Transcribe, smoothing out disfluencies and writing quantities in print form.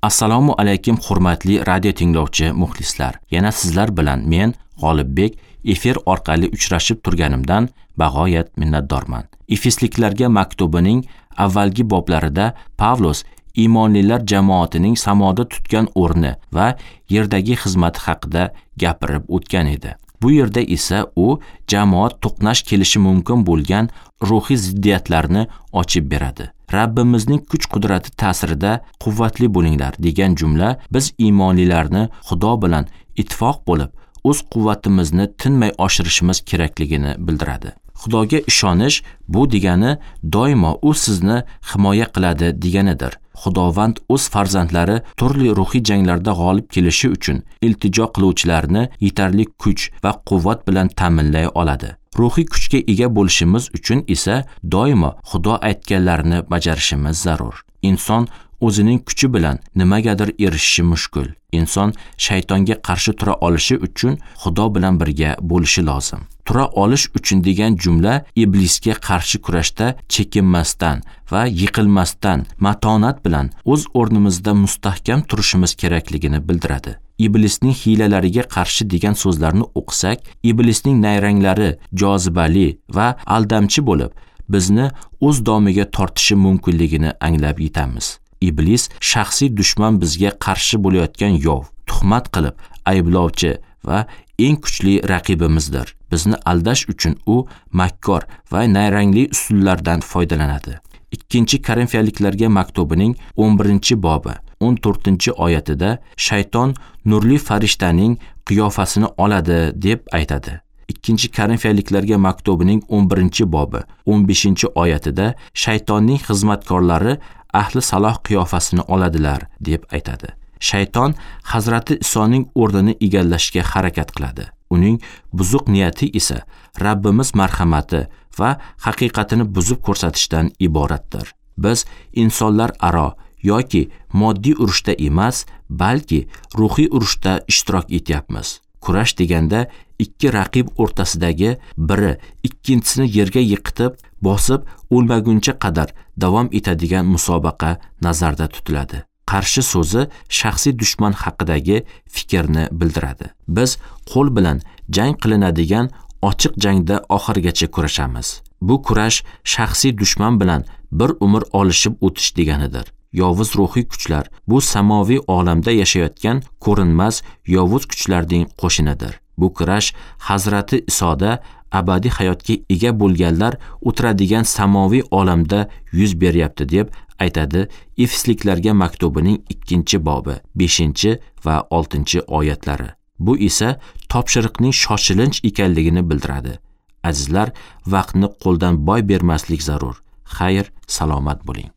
Assalomu alaykum hurmatli radio tinglovchi muxlislar. Yana sizlar bilan men G'olibbek efir orqali uchrashib turganimdan bag'oyat minnatdorman. Efesliklarga maktubining avvalgi boblarida Pavlos iymonlilar jamoatining samoda tutgan o'rni va yerdagi xizmati haqida gapirib o'tgan edi. Bu yerda esa u jamoat to'qnash kelishi mumkin bo'lgan ruhiy ziddiyatlarni ochib beradi. Rabbimizning kuch-qudrati ta'sirida quvvatli bo'linglar degan jumla biz iymonlilarni Xudo bilan ittifoq bo'lib, o'z quvvatimizni tinmay oshirishimiz kerakligini bildiradi. Xudoga ishonish bu degani doimo u sizni himoya qiladi deganidir. Xudovand o'z farzandlari turli ruhiy janglarda g'olib kelishi uchun iltijo qiluvchilarni yetarli kuch va quvvat bilan ta'minlay oladi. Ruhiy kuchga ega bo'lishimiz uchun esa doimo Xudo aytganlarini bajarishimiz zarur. Inson o'zining kuchi bilan nimagadir erishishi mushkul. Inson shaytonga qarshi tura olishi uchun Xudo bilan birga bo'lishi lozim. Tura olish uchun degan jumla iblisga qarshi kurashda chekinmasdan va yiqilmasdan matonat bilan o'z o'rnimizda mustahkam turishimiz kerakligini bildiradi. Iblisning hiylalariga qarshi degan so'zlarni o'qisak, iblisning nayranglari jozibali va aldamchi bo'lib, bizni o'z domiga tortishi mumkinligini anglab yetamiz. Iblis shaxsiy dushman, bizga qarshi bo'layotgan yov, tuhmat qilib ayblovchi va eng kuchli raqibimizdir. Bizni aldash uchun u makkor va nayrangli usullardan foydalanadi. 2-Korinfiyaliklarga maktubining 11-bobi 14-oyatida shayton nurli farishtaning qiyofasini oladi deb aytadi. 2-Korinfiyaliklarga maktubining 11-bobi 15-oyatida shaytonning xizmatkorlari ahli saloh qiyofasini oladilar deb aytadi. Shayton Hazrati Isoning o'rnini egallashga harakat qiladi. Uning buzuq niyati esa Rabbimiz marhamati va haqiqatini buzib ko'rsatishdan iboratdir. Biz insonlar aro yoki moddiy urushda emas, balki ruhiy urushda ishtirok etyapmiz. Kurash deganda ikki raqib o'rtasidagi biri ikkinchisini yerga yiqitib, bosib o'lmaguncha qadar davom etadigan musobaqa nazarda tutiladi. Qarshi so'zi shaxsiy dushman haqidagi fikrni bildiradi. Biz qo'l bilan jang qilinadigan ochiq jangda oxirigacha kurashamiz. Bu kurash shaxsiy dushman bilan bir umr olishib o'tish deganidir. Yovuz ruhiy kuchlar bu samoviy olamda yashayotgan ko'rinmas yovuz kuchlarning qo'shinidir. Bu kurash Hazrati Isoda abadiy hayotga ega bo'lganlar o'tiradigan samoviy olamda yuz beryapti deb aytadi Efesliklarga maktubining 2-bobi 5 va 6-oyatlari. Bu esa topshiriqning shoshilinch ekanligini bildiradi. Azizlar, vaqtni qo'ldan boy bermaslik zarur. Xayr, salomat bo'ling.